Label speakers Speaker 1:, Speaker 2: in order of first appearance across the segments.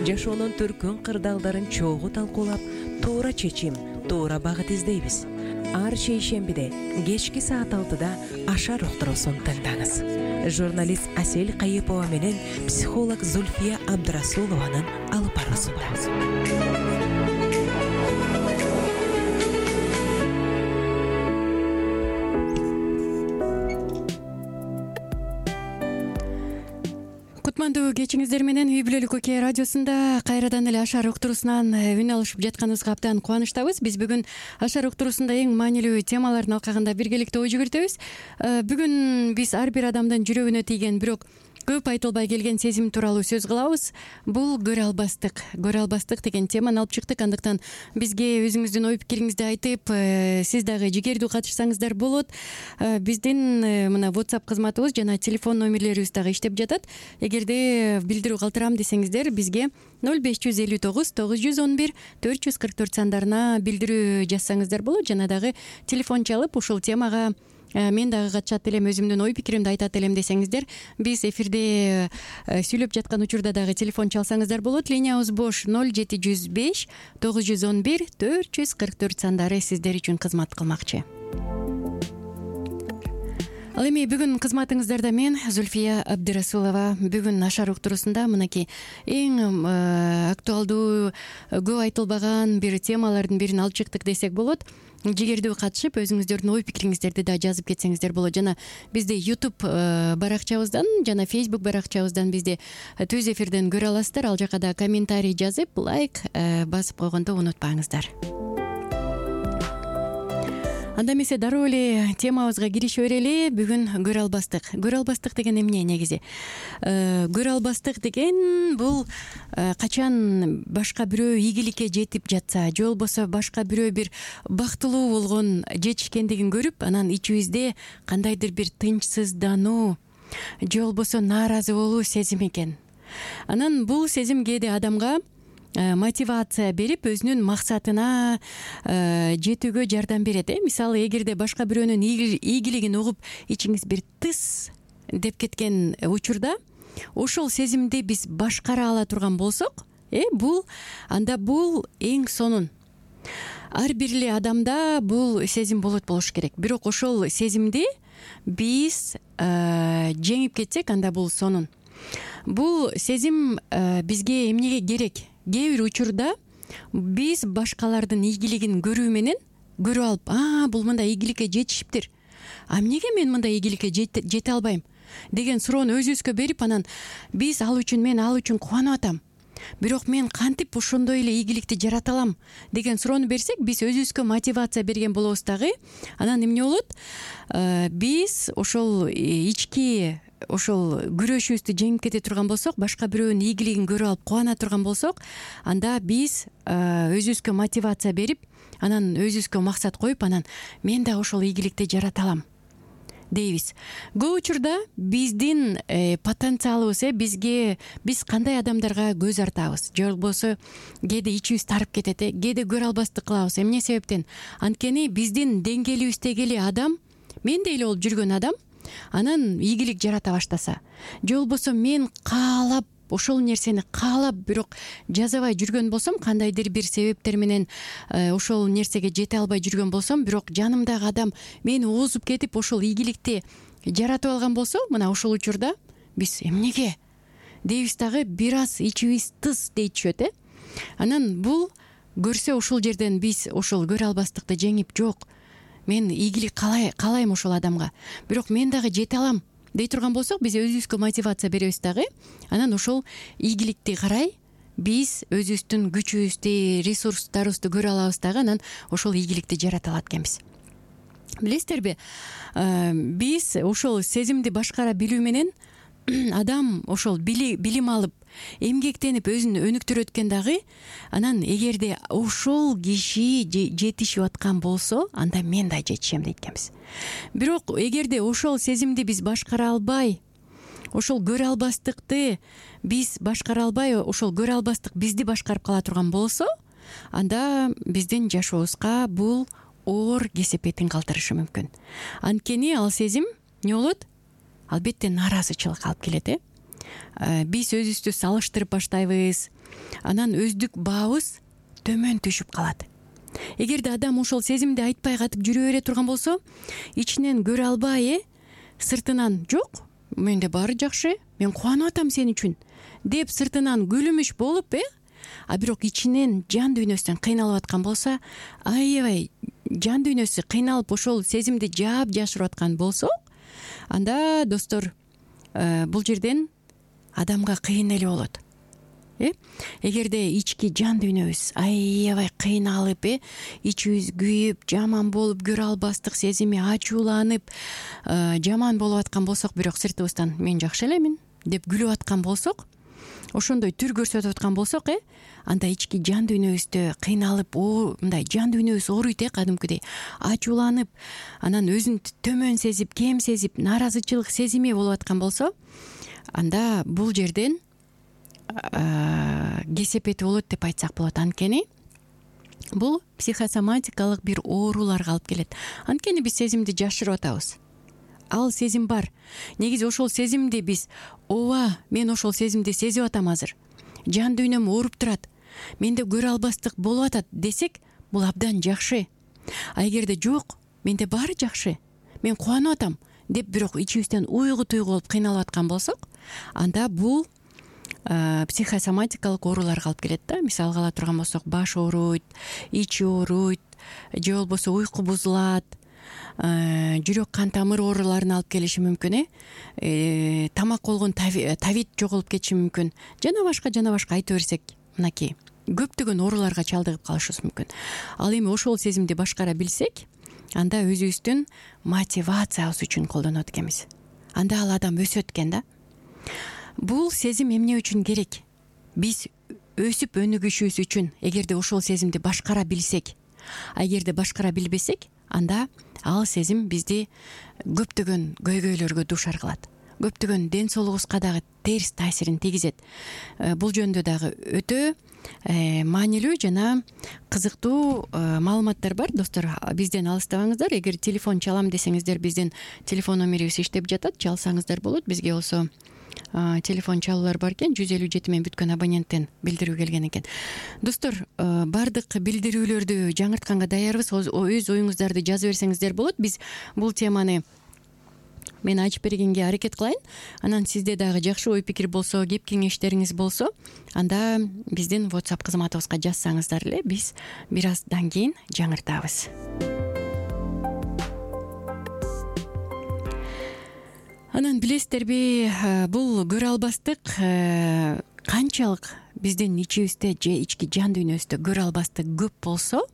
Speaker 1: жашоонун түркүн кырдаалдарын чогуу талкуулап, туура чечим, туура багыт издейбиз. Ар шейшембиде кечки саат 6-да Ашар уктуруусун тыңдаңыз. Журналист Асель Кайыпова менен психолог Зульфия Абдрасулованын алып баруусу.
Speaker 2: Кутмандуу кечиңиздер менен Үй бүлөлүк Окей радиосунда кайрадан эле Ашар уктуруусунан үн алышып жатканыбызга абдан кубанычтабыз. Биз бүгүн Ашар уктуруусунда эң маанилүү темалардын алкагында биргеликте ой жүгүртөбүз. Бүгүн биз ар бир адамдын жүрөгүнө тийген, бирок көп айтылбай келген сезим тууралуу сөз кылабыз. Бул көрө албастык. Көрө албастык деген теманы алып чыктык. Андыктан бизге өзүңүздүн ой пикириңизди айтып, сиз дагы жигердүү катышсаңыздар болот. Биздин мына WhatsApp кызматыбыз жана телефон номерлерибиз дагы иштеп жатат. Эгерде билдирүү калтырам десеңиздер, бизге 0559 911 444 сандарына билдирүү жазсаңыздар болот. Жана дагы телефон чалып, ушул темага мен дагы катышат элем, өзүмдүн ой пикиримди айтат элем десеңиздер, биз эфирде сүйлөп жаткан учурда дагы телефон чалсаңыздар болот. Линиябыз бош 0705 911 444 сандары сиздер үчүн кызмат кылмакчы. Ал эми бүгүн кызматыңыздарда мен Зульфия Абдрасулова. Бүгүн Ашар уктуруусунда мынакей эң актуалдуу, көп айтылбаган бир темалардын бирин алып чыктык десек болот. Жигердүү катышып, өзүңүздөрдүн ой пикириңиздерди да жазып кетсеңиздер болот. Жана бизди YouTube баракчабыздан жана Facebook баракчабыздан бизди түз эфирден көрө аласыздар. Ал жака да комментарий жазып, лайк басып койгонду унутпаңыздар. Анда эмесе дароо эле темабызга кирише берели. Бүгүн көрө албастык. Көрө албастык деген эмне негизи? Көрө албастык деген бул качан башка бирөө ийгиликке жетип жатса, же болбосо башка бирөө бир бактылуу болгон жетишкендигин көрүп, анан ичибизде кандайдыр бир тынчсыздануу, же болбосо нааразы болуу сезими экен. Анан бул сезим кээде адамга мотивация берип, өзүнүн максатына жетүүгө жардам берет. Мисалы, эгерде башка бирөөнүн ийгилигин угуп, ичиңиз бир тыс деп кеткен учурда, ошол сезимди биз башкара ала турган болсок, бул эң сонун. Ар бир эле адамда бул сезим болуш керек. Бирок ошол сезимди биз жеңип кетсек, анда бул сонун. Бул сезим бизге эмнеге керек? Кээ бир учурда биз башкалардын ийгилигин көрүү менен көрүп алып, бул мындай ийгиликке жетишиптир. Эмнеге мен мындай ийгиликке жете албайм деген суроону өзүбүзгө берип, анан биз мен ал үчүн кубанып атам. Бирок мен кантип ошондой эле ийгиликти жарата алам деген суроону берсек, биз өзүбүзгө мотивация берген болобуз дагы. Анан эмне болот? Биз ошол ички күрөшүбүздү жеңип кете турган болсок, башка бирөөнүн ийгилигин көрүп алып кубана турган болсок, анда биз өзүбүзгө мотивация берип, анан өзүбүзгө максат коюп, анан мен да ошол ийгиликти жарата алам дейбиз. Көп учурда биздин потенциалыбыз, биз кандай адамдарга көз артабыз, же болбосо кээде ичибиз тарып кетет, кээде көрө албастык кылабыз. Эмне себептен? Анткени биздин деңгээлибиздеги эле адам, мендей эле болуп жүргөн адам, анан ийгилик жарата баштаса, же болбосо мен каалап, ошол нерсени каалап, бирок жазабай жүргөн болсом, кандайдыр бир себептер менен ошол нерсеге жете албай жүргөн болсом, бирок жанымдагы адам мени оозуп кетип, ошол ийгиликти жаратып алган болсо, мына ошол учурда биз эмнеге дейбиз дагы, бир аз ичибиз тыз дей түшөт. Анан бул көрсө, ошол жерден биз ошол көрө албастыкты жеңип, жок, мен ийгилик каалайм ошол адамга, бирок мен дагы жете алам дей турган болсок, биз өзүбүзгө мотивация беребиз дагы. Анан ошол ийгиликти карай биз өзүбүздүн күчүбүздү, ресурстарыбызды көрө алабыз дагы, анан ошол ийгиликти жарата алат экенбиз. Билесиздерби, биз ошол сезимди башкара билүү менен адам ошол билим алып, эмгектенип өзүн өнүктүрөт экен дагы. Анан эгерде ошол киши жетишип аткан болсо, анда мен да жетишем дейт экенбиз. Бирок эгерде ошол сезимди биз башкара албай, ошол көрө албастыкты биз башкара албай, ошол көрө албастык бизди башкарып кала турган болсо, анда биздин жашообузга бул оор кесепетин калтырышы мүмкүн. Анткени ал сезим эмне болот? Албетте нааразычылык алып келет. Биз өзүбүздү салыштырып баштайбыз. анан өздүк баабыз төмөн түшүп калат. Эгерде адам ошол сезимди айтпай катып жүрө бере турган болсо, ичинен көрө албай, сыртынан жок, менде баары жакшы, мен кубанып атам сен үчүн деп сыртынан күлүмүш болуп, а бирок ичинен жан дүйнөсүнөн кыйналып аткан болсо, аябай жан дүйнөсү кыйналып ошол сезимди жаап жашырып аткан болсо, анда достор, бул жерден адамга кыйын эле болот. Эгерде ички жан дүйнөбүз аябай кыйналып, ичибиз күйүп, жаман болуп, көрө албастык сезими ачууланып, жаман болуп аткан болсок, бирок сыртыбыздан мен жакшы элемин деп күлүп аткан болсок, ошондой түр көрсөтүп аткан болсок, анда ички жан дүйнөбүздө кыйналып, мындай жан дүйнөбүз ооруйт, кадимкидей ачууланып, анан өзүн төмөн сезип, кем сезип, нааразычылык сезими болуп аткан болсо, анда бул жерден кесепети болот деп айтсак болот. Анткени бул психосоматикалык бир ооруларга алып келет. Анткени биз сезимди жашырып атабыз. Ал сезим бар. Негизи ошол сезимди биз, ооба, мен ошол сезимди сезип атам азыр. Жан дүйнөм ооруп турат. Менде көрө албастык болуп атат десек, бул абдан жакшы. А эгерде жок, менде баары жакшы, мен кубанып атам деп бирок ичибизден уйгу туйгу болуп кыйналып аткан болсок, анда бул психосоматикалык ооруларга алып келет да. Мисалга ала турган болсок, баш ооруйт, ичи ооруйт, же болбосо уйку бузулат, жүрөк кан тамыр ооруларына алып келиши мүмкүн, тамак болгон тавит жоголуп кетиши мүмкүн. Жана башка айта берсек, мынакей көптөгөн ооруларга чалдыгып калышыбыз мүмкүн. Ал эми ошол сезимди башкара билсек, анда өзүбүздүн мотивациябыз үчүн колдонот экенбиз. Анда ал адам өсөт экен да. Бул сезим эмне үчүн керек? Биз өсүп өнүгүшүбүз үчүн, эгерде ошол сезимди башкара билсек. А эгерде башкара билбесек, анда ал сезим бизди көптөгөн көйгөйлөргө дуушар кылат. Көптөгөн ден соолугубузга дагы терс таасирин тийгизет. Бул жөнүндө дагы өтө маанилүү жана кызыктуу маалыматтар бар. Достор, бизден алыстабаңыздар. Эгер телефон чалам десеңиздер, биздин телефон номерибиз иштеп жатат. Чалсаңыздар болот. Бизге болсо телефон чалуулар бар экен. 157 менен бүткөн абоненттен билдирүү келген экен. Достор, бардык билдирүүлөрдү жаңыртканга даярбыз. Өз оюңуздарды жазып берсеңиздер болот. Биз бул теманы мен ачып бергенге аракет кылайын. Анан сизде дагы жакшы ой пикир болсо, кеп кеңештериңиз болсо, анда биздин WhatsApp кызматыбызга жазсаңыздар эле, биз бир аздан кийин жаңыртабыз. Анан билесиздерби, бул көрө албастык канчалык биздин ичибизде же ички жан дүйнөбүздө көрө албастык көп болсо,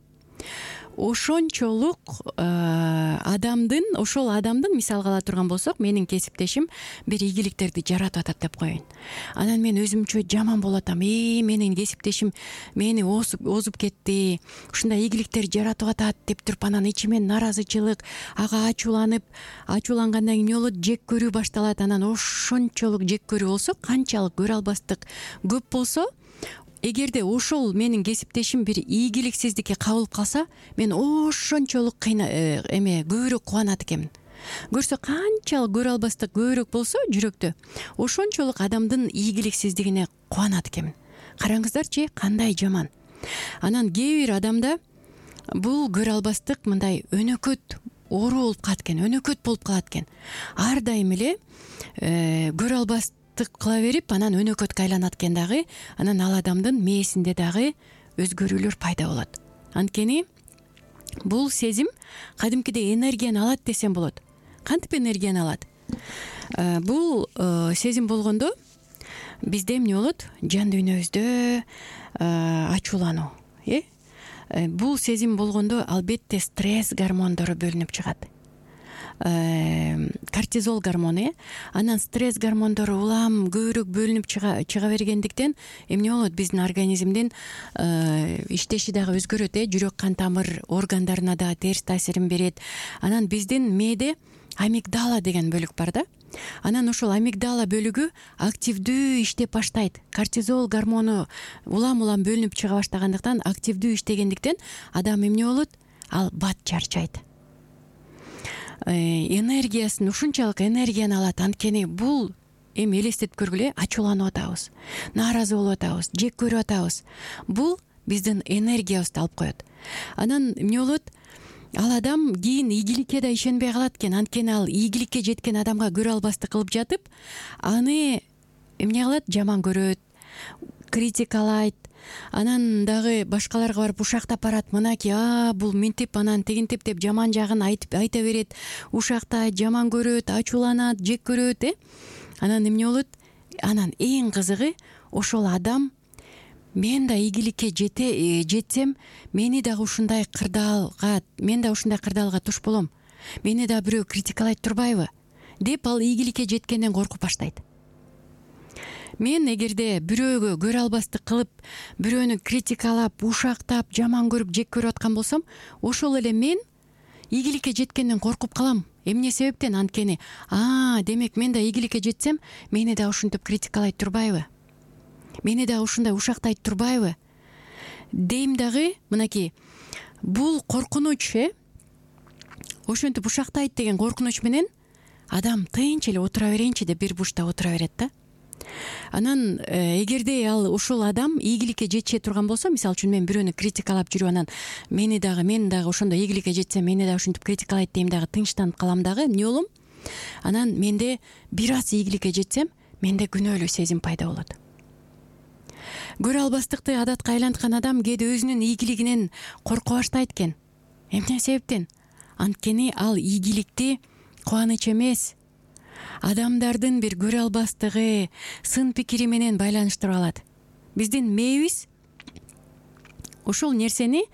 Speaker 2: ошончолук ошол адамдын мисалга ала турган болсок, менин кесиптешим бир ийгиликтерди жаратып атат деп коеюн. Анан мен өзүмчө жаман болуп атам. Менин кесиптешим мени озуп кетти, ушундай ийгиликтер жаратып атат деп туруп, анан ичимен нааразычылык, ага ачуулангандан кийин эмне болот? Жек көрүү башталат. Анан ошончолук жек көрүү болсо, канчалык көрө албастык көп болсо, эгерде ошол менин кесиптешим бир ийгиликсиздикке кабылып калса, мен ошончолук көбүрөөк кубанат экенмин. Көрсө канчалык көрө албастык көбүрөөк болсо жүрөктө, ошончолук адамдын ийгиликсиздигине кубанат экенмин. Караңыздарчы, кандай жаман. Анан кээ бир адамда бул көрө албастык мындай өнөкөт оору болуп калат экен, өнөкөт болуп калат экен. Ар дайым эле көрө албастык кыла берип, анан өнөкөткө айланат экен дагы. Анан ал адамдын мээсинде дагы өзгөрүүлөр пайда болот. Анткени бул сезим кадимкидей энергияны алат десем болот. Кантип энергияны алат? Бул сезим болгондо бизде эмне болот? Жан дүйнөбүздө ачуулануу. Бул сезим болгондо албетте стресс гормондору бөлүнүп чыгат. Кортизол гормону, анан стресс гормондору улам көбүрөөк бөлүнүп чыга бергендиктен эмне болот? Биздин организмдин иштеши дагы өзгөрөт, жүрөк кан тамыр органдарына дагы терс таасирин берет. Анан биздин мээде амигдала деген бөлүк бар да. Анан ошол амигдала бөлүгү активдүү иштеп баштайт. Кортизол гормону улам бөлүнүп чыга баштагандыктан, активдүү иштегендиктен адам эмне болот? Ал бат чарчайт. Энергиясын, ушунчалык энергияны алат. Анткени бул эми элестетип көргүлө, ачууланып атабыз, нааразы болуп атабыз, жек көрүп атабыз. Бул биздин энергиябызды алып коет. Анан эмне болот? Ал адам кийин ийгиликке да ишенбей калат экен. Анткени ал ийгиликке жеткен адамга көрө албастык кылып жатып, аны эмне кылат? Жаман көрөт, критикалайт. Анан дагы башкаларга барып ушактап барат. Мынакей, бул мынтип, анан тигинтип деп жаман жагын айта берет, ушактайт, жаман көрөт, ачууланат, жек көрөт. Анан эмне болот? Анан эң кызыгы, ошол адам мен да ийгиликке жетсем, мени дагы ушундай кырдаалга туш болом. Мени да бирөө критикалайт турбайбы деп ал ийгиликке жеткенден коркуп баштайт. Мен эгерде бирөөгө көрө албастык кылып, бирөөнү критикалап, ушактап, жаман көрүп, жек көрүп аткан болсом, ошол эле мен ийгиликке жеткенден коркуп калам. Эмне себептен? Анткени, демек мен да ийгиликке жетсем, мени да ушинтип критикалайт турбайбы? Мени да ушундай ушактайт турбайбы? Дейм дагы, мынакей, бул коркунуч, ошентип ушактайт деген коркунуч менен адам тынч эле отура берейинчи деп бир бурчта отура берет да. Анан эгерде ал ушул адам ийгиликке жетише турган болсо, мисалы үчүн мен бирөөнү критикалап жүрүп, анан мен дагы ошондой ийгиликке жетсем, мени дагы ушинтип критикалайт дейм дагы, тынчтанып калам дагы, эмне болом? Анан менде бир аз ийгиликке жетсем, менде күнөөлүү сезим пайда болот. Көрө албастыкты адатка айланткан адам кээде өзүнүн ийгилигинен корко баштайт экен. Эмне себептен? Анткени ал ийгиликти кубаныч эмес, адамдардын бир көрө албастыгы, сын пикири менен байланыштырып алат. Биздин мээбиз ошол нерсени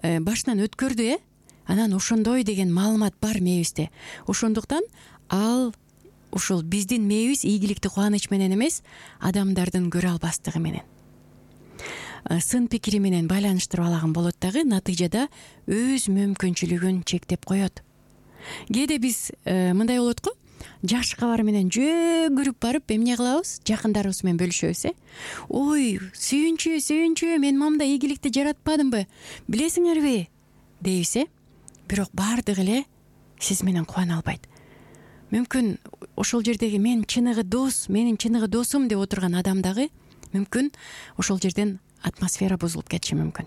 Speaker 2: башынан өткөрдү, анан ошондой деген маалымат бар мээбизде. Ошондуктан ал ушул биздин мээбиз ийгиликти кубаныч менен эмес, адамдардын көрө албастыгы менен, сын пикири менен байланыштырып алаган болот дагы, натыйжада өз мүмкүнчүлүгүн чектеп коет. Кээде биз мындай болот го, жакшы кабар менен жөгүрүп барып эмне кылабыз? Жакындарыбыз менен бөлүшөбүз. Ой, сүйүнчү, мен мамда ийгиликти жаратпадымбы? Билесиңерби? Дейбиз. Бирок баардыгы эле сиз менен кубана албайт. Мүмкүн ошол жердеги менин чыныгы досум деп отурган адам дагы мүмкүн ошол жерден атмосфера бузулуп кетиши мүмкүн.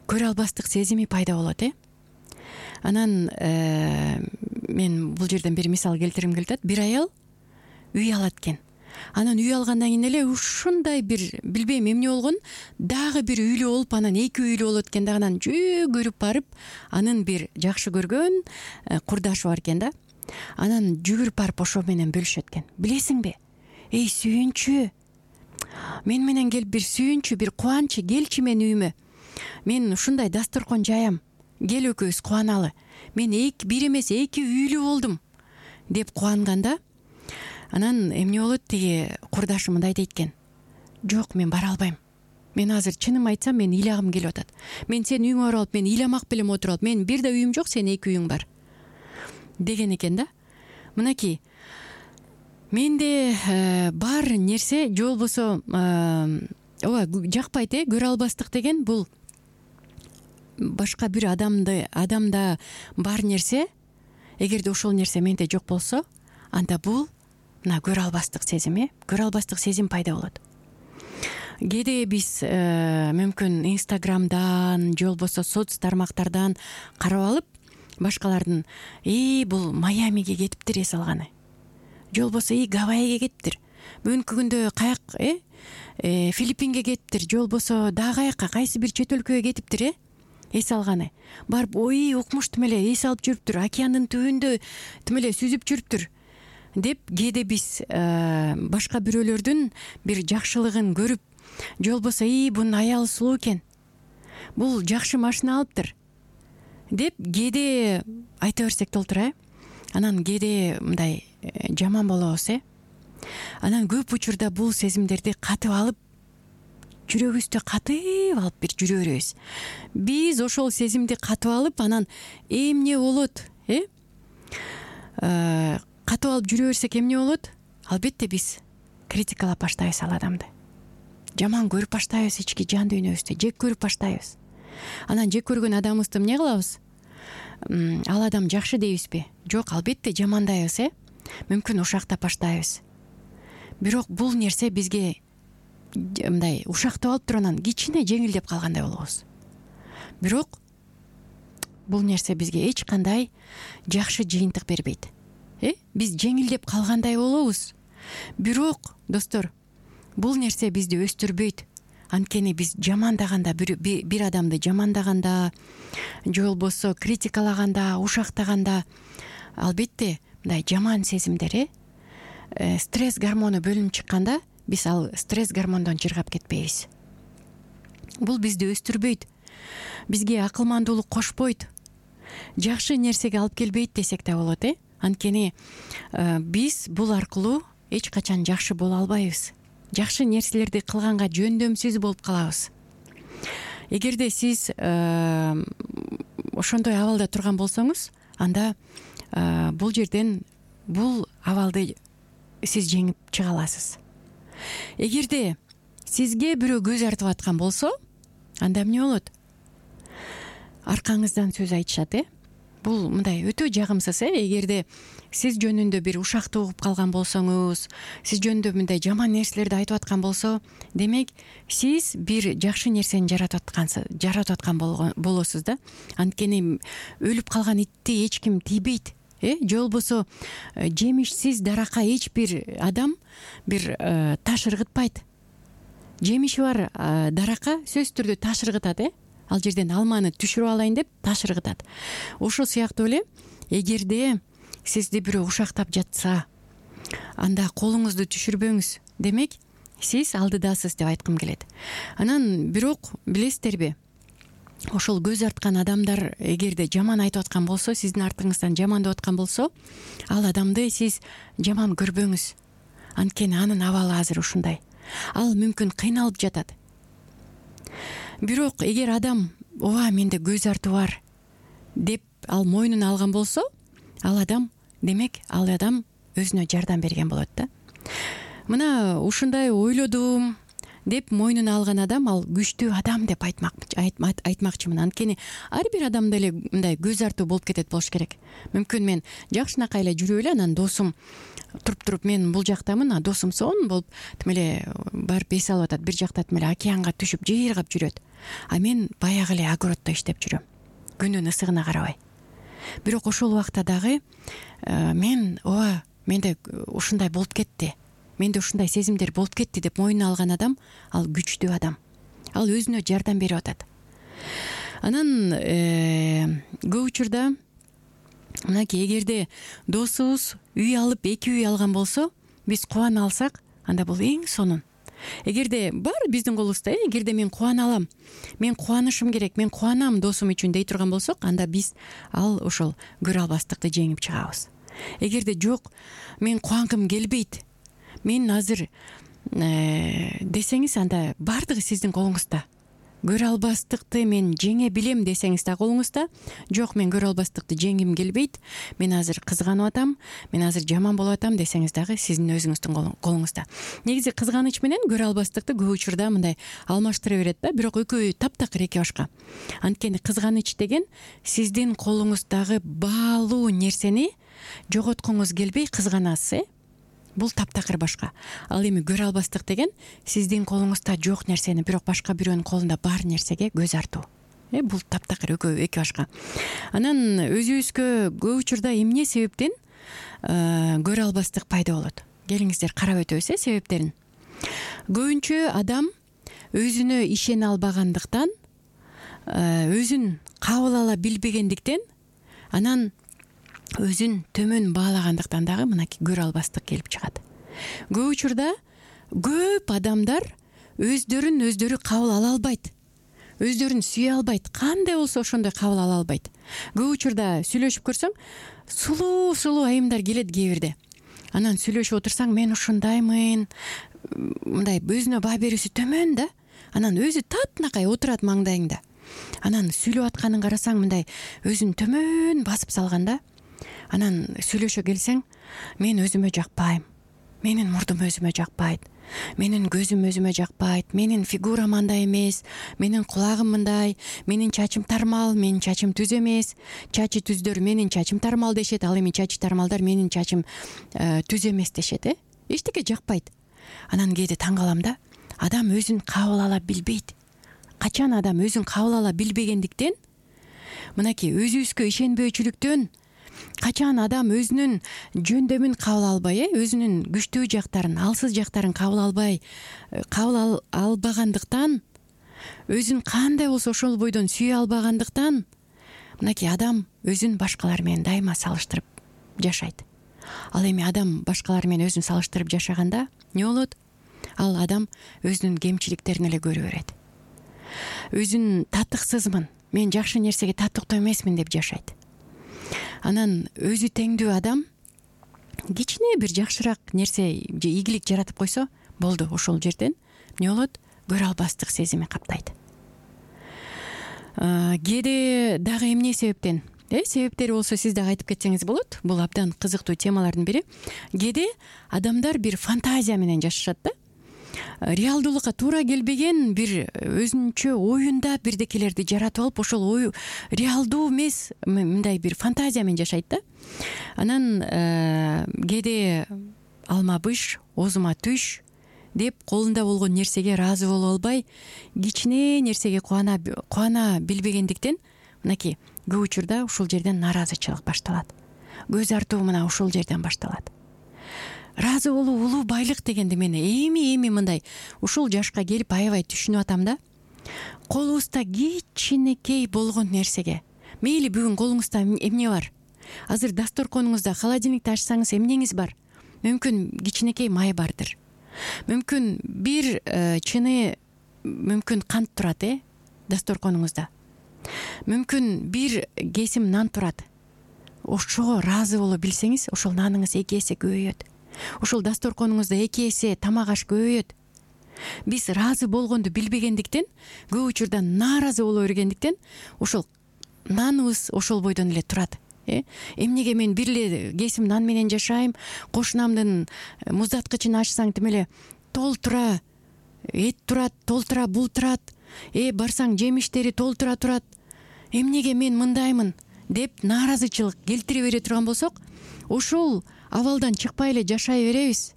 Speaker 2: Көрө албастык сезими пайда болот. Анан мен бул жерден бир мисал келтиргим келип атат. Бир аял үй алат экен. Анан үй алгандан кийин эле ушундай бир, билбейм эмне болгон, дагы бир үйлүү болуп, анан эки үйлүү болот экен да, анан жөгүрүп барып, анын бир жакшы көргөн курдашы бар экен да. Анан жүгүрүп барып ошо менен бөлүшөт экен. Билесиңби? Эй, сүйүнчү, мен менен келип бир сүйүнчү, бир кубанчы, келчи мен үйүмө. Мен ушундай дасторкон жаям. Кел экөөбүз кубаналы. Мен бир эмес, эки үйлүү болдум деп кубанганда, анан эмне болот? Тиги курдашы мындай дейт экен. Жок, мен бара албайм. Мен азыр чыным айтсам, мен ыйлагым келип атат. Мен сенин үйүңө барып алып, мен ыйламак белем отуруп алып, мен бир да үйүм жок, сенин эки үйүң бар. Деген экен да. Мынакей, менде бар нерсе, же болбосо жакпайт, көрө албастык деген бул башка бир адамда бар нерсе, эгерде ошол нерсе менде жок болсо, анда бул мына көрө албастык сезим, көрө албастык сезим пайда болот. Кээде биз мүмкүн Инстаграмдан, же болбосо соц тармактардан карап алып, башкалардын бул Майамиге кетиптир эс алганы, же болбосо Гавайиге кетиптир, бүгүнкү күндө каяк Филиппинге кетиптир, же болбосо дагы каяка, кайсы бир чет өлкөгө кетиптир эс алганы. Барып укмуш тим эле эс алып жүрүптүр, океандын түбүндө тим эле сүзүп жүрүптүр деп кээде биз башка бирөөлөрдүн бир жакшылыгын көрүп, же болбосо бунун аялы сулуу экен, бул жакшы машина алыптыр деп кээде айта берсек болтур. Анан кээде мындай жаман болобуз. Анан көп учурда бул сезимдерди катып алып, жүрөгүбүздө катып алып бир жүрө беребиз. Биз ошол сезимди катып алып, анан эмне болот? Катып алып жүрө берсек эмне болот? Албетте биз критикалап баштайбыз ал адамды. Жаман көрүп баштайбыз, ички жан дүйнөбүздө жек көрүп баштайбыз. Анан жек көргөн адамыбызды эмне кылабыз? Ал адам жакшы дейбизби? Жок, албетте жамандайбыз. Мүмкүн ушактап баштайбыз. бирок бул нерсе бизге мындай ушактап алып туруп анан кичине жеңилдеп калгандай болобуз. Бирок бул нерсе бизге эч кандай жакшы жыйынтык бербейт. Биз жеңилдеп калгандай болобуз. Бирок достор, бул нерсе бизди өстүрбөйт. Анткени биз жамандаганда, бир адамды жамандаганда же болбосо критикалаганда, ушактаганда албетте мындай жаман сезимдер, стресс гормону бөлүнүп чыкканда биз ал стресс гормондон жыргап кетпейбиз. Бул бизди өстүрбөйт, бизге акылмандуулук кошпойт, жакшы нерсеге алып келбейт десек да болот. Анткени биз бул аркылуу эч качан жакшы боло албайбыз. Жакшы нерселерди кылганга жөндөмсүз болуп калабыз. Эгерде сиз ошондой абалда турган болсоңуз, анда бул жерден бул абалды сиз жеңип чыга аласыз. Эгерде сизге бирөө көз артып аткан болсо, анда эмне болот? Аркаңыздан сөз айтышат. Бул мындай өтө жагымсыз. Эгерде сиз жөнүндө бир ушактуу угуп калган болсоңуз, сиз жөнүндө мындай жаман нерселерди айтып аткан болсо, демек сиз бир жакшы нерсени жаратып аткан болосуз да. Анткени өлүп калган итти эч ким тийбейт. Же болбосо жемишсиз даракка эч бир адам бир таш ыргытпайт. Жемиши бар даракка сөзсүз түрдө таш ыргытат. Ал жерден алманы түшүрүп алайын деп таш ыргытат. Ошол сыяктуу эле эгерде сизди бирөө ушактап жатса, анда колуңузду түшүрбөңүз. Демек, сиз алдыдасыз деп айткым келет. Анан бирок билесиздерби, ошол көз арткан адамдар эгерде жаман айтып аткан болсо, сиздин артыңыздан жамандап аткан болсо, ал адамды сиз жаман көрбөңүз. Анткени анын абалы азыр ушундай. Ал мүмкүн кыйналып жатат. Бирок эгер адам ооба менде көз артуу бар деп ал мойнуна алган болсо, ал адам өзүнө жардам берген болот да. Мына ушундай ойлодум деп мойнуна алган адам ал күчтүү адам деп айтмакчымын. Анткени ар бир адамда эле мындай көз артуу болуп кетет болуш керек. Мүмкүн мен жакшынакай эле жүрүп эле анан досум туруп мен бул жактамын, а досум сонун болуп тим эле барып эс алып атат, бир жакта тим эле океанга түшүп жыйыргап жүрөт. А мен баягы эле огороддо иштеп жүрөм, күндүн ысыгына карабай. Бирок ошол убакта дагы менде ушундай болуп кетти, менде ушундай сезимдер болуп кетти деп мойнуна алган адам ал күчтүү адам. Ал өзүнө жардам берип атат. Анан көп учурда мынакей эгерде досубуз үй алып, 2 үй алган болсо, биз кубана алсак, анда бул эң сонун. Эгерде бар биздин колубузда, эгерде мен кубана алам, мен кубанышым керек, мен кубанам досум үчүн дей турган болсок, анда биз ошол көрө албастыкты жеңип чыгабыз. Эгерде жок, мен кубангым келбейт, мен азыр десеңиз, анда бардыгы сиздин колуңузда. Көрө албастыкты мен жеңе билем десеңиз да колуңузда. Жок, мен көрө албастыкты жеңгим келбейт, мен азыр кызганып атам, мен азыр жаман болуп атам десеңиз дагы сиздин өзүңүздүн колуңузда. Негизи кызганыч менен көрө албастыкты көп учурда мындай алмаштыра берет да, бирок экөө таптакыр эки башка. Анткени кызганыч деген сиздин колуңуздагы баалуу нерсени жоготкуңуз келбей кызганасыз. Бул таптакыр башка. Ал эми көрө албастык деген сиздин колуңузда жок нерсени бирок башка бирөөнүн колунда бар нерсеге көз артуу. Бул таптакыр экөө эки башка. Анан өзүбүзгө көп учурда эмне себептен көрө албастык пайда болот? Келиңиздер карап өтөбүз себептерин. Көбүнчө адам өзүнө ишене албагандыктан, өзүн кабыл ала билбегендиктен, анан өзүн төмөн баалагандыктан дагы мынакей көрө албастык келип чыгат. Көп учурда көп адамдар өздөрүн кабыл ала албайт. Өздөрүн сүйө албайт. Кандай болсо ошондой кабыл ала албайт. Көп учурда сүйлөшүп көрсөң, сулуу айымдар келет кээ бирде. Анан сүйлөшүп отурсаң, мен ушундаймын, мындай өзүнө баа берүүсү төмөн да. Анан өзү татынакай отурат маңдайыңда. Анан сүйлөп атканын карасаң, мындай өзүн төмөн басып салганда, анан сүйлөшө келсең, мен өзүмө жакпайм, менин мурдум өзүмө жакпайт, менин көзүм өзүмө жакпайт, менин фигурам андай эмес, менин кулагым мындай, менин чачым тармал, менин чачым түз эмес, чачы түздөр менин чачым тармал дешет, ал эми чачы тармалдар менин чачым түз эмес дешет. Эчтеке жакпайт. анан кээде таң калам да, адам өзүн кабыл ала билбейт. Качан адам өзүн кабыл ала билбегендиктен, мынакей өзүбүзгө ишенбөөчүлүктөн, качан адам өзүнүн жөндөмүн кабыл албай, өзүнүн күчтүү жактарын, алсыз жактарын кабыл албагандыктан, өзүн кандай болсо ошол бойдон сүйө албагандыктан, мынакей адам өзүн башкалар менен дайыма салыштырып жашайт. Ал эми адам башкалар менен өзүн салыштырып жашаганда эмне болот? Ал адам өзүнүн кемчиликтерин эле көрө берет. Өзүн татыксызмын, мен жакшы нерсеге татыктуу эмесмин деп жашайт. Анан өзү теңдүү адам кичине бир жакшыраак нерсе же ийгилик жаратып койсо болду, ошол жерден эмне болот? Көрө албастык сезими каптайт. Кээде дагы эмне себептен? Себептери болсо сиз дагы айтып кетсеңиз болот. Бул абдан кызыктуу темалардын бири. Кээде адамдар бир фантазия менен жашашат да. Реалдуулукка туура келбеген бир өзүнчө оюнда бирдекелерди жаратып алып, ошол ою реалдуу эмес, мындай бир фантазия менен жашайт да. Анан кээде алма быш, оозума түш деп колунда болгон нерсеге ыраазы боло албай, кичине нерсеге кубана билбегендиктен, мынакей көп учурда ушул жерден нааразычылык башталат. Көз артуу мына ушул жерден башталат. Ыраазы болуу улуу байлык дегенди мен эми мындай ушул жашка келип аябай түшүнүп атам да. Колубузда кичинекей болгон нерсеге, мейли бүгүн колуңузда эмне бар? Азыр дасторконуңузда, холодильникти ачсаңыз эмнеңиз бар? Мүмкүн кичинекей май бардыр. Мүмкүн бир чыны мүмкүн кант турат, дасторконуңузда. Мүмкүн бир кесим нан турат. Ошого ыраазы боло билсеңиз, ошол наныңыз 2 эсе көбөйөт. Ошол дасторконуңузда 2 эсе тамак аш көбөйөт. Биз ыраазы болгонду билбегендиктен, көп учурда нааразы боло бергендиктен, ошол наныбыз ошол бойдон эле турат. Эмнеге мен бир эле кесим нан менен жашайм, кошунамдын муздаткычын ачсаң тим эле толтура эт турат, толтура бул турат, барсаң жемиштери толтура турат. Эмнеге мен мындаймын деп нааразычылык келтире бере турган болсок, ошол абалдан чыкпай эле жашай беребиз.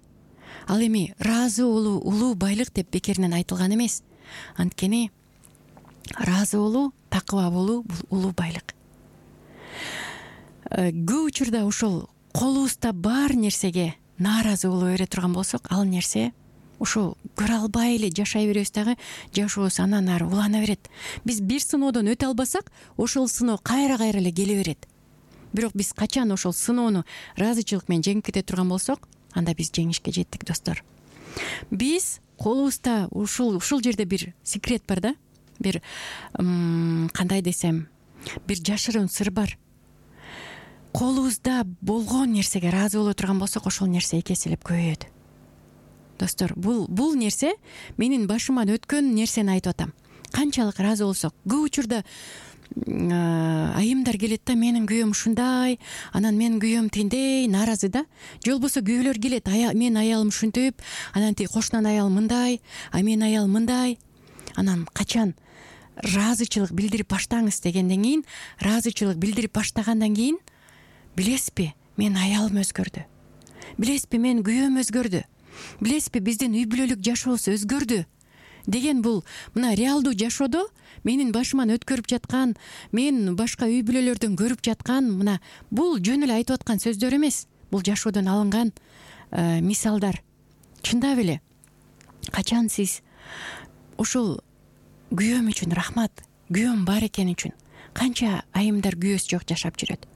Speaker 2: Ал эми ыраазы болуу улуу байлык деп бекеринен айтылган эмес. Анткени ыраазы болуу, такыба болуу бул улуу байлык. Көп учурда ошол колубузда бар нерсеге нааразы боло бере турган болсок, ал нерсе ошо көрө албай эле жашай беребиз дагы, жашообуз анан ары улана берет. Биз бир сыноодон өтө албасак, ошол сыноо кайра эле келе берет. Бирок биз качан ошол сыноону ыраазычылык менен жеңип кете турган болсок, анда биз жеңишке жеттик, достор. Биз колубузда ушул жерде бир секрет бар да. Бир кандай десем, бир жашыруун сыр бар. Колубузда болгон нерсеге ыраазы боло турган болсок, ошол нерсе 2 эселеп көбөйөт. Достор, бул нерсе менин башыман өткөн нерсени айтып атам. Канчалык ыраазы болсок, көп учурда айымдар келет да, менин күйөөм ушундай, анан менин күйөөм тиндей, нааразы да. Же болбосо күйөөлөр келет, менин аялым ушинтип, анан тиги кошунан аял мындай, менин аял мындай. Анан качан ыраазычылык билдирип баштаңыз дегенден кийин, ыраазычылык билдирип баштагандан кийин, билесизби, менин аялым өзгөрдү. Билесизби, менин күйөөм өзгөрдү. Билесизби, биздин үй бүлөлүк жашообуз өзгөрдү деген бул мына реалдуу жашоодо менин башыман өткөрүп жаткан, мен башка үй бүлөлөрдөн көрүп жаткан, мына бул жөн эле айтып аткан сөздөр эмес. Бул жашоодон алынган мисалдар. Чындап эле, качан сиз ошол күйөөм үчүн рахмат, күйөөм бар экени үчүн, канча айымдар күйөөсү жок жашап жүрөт.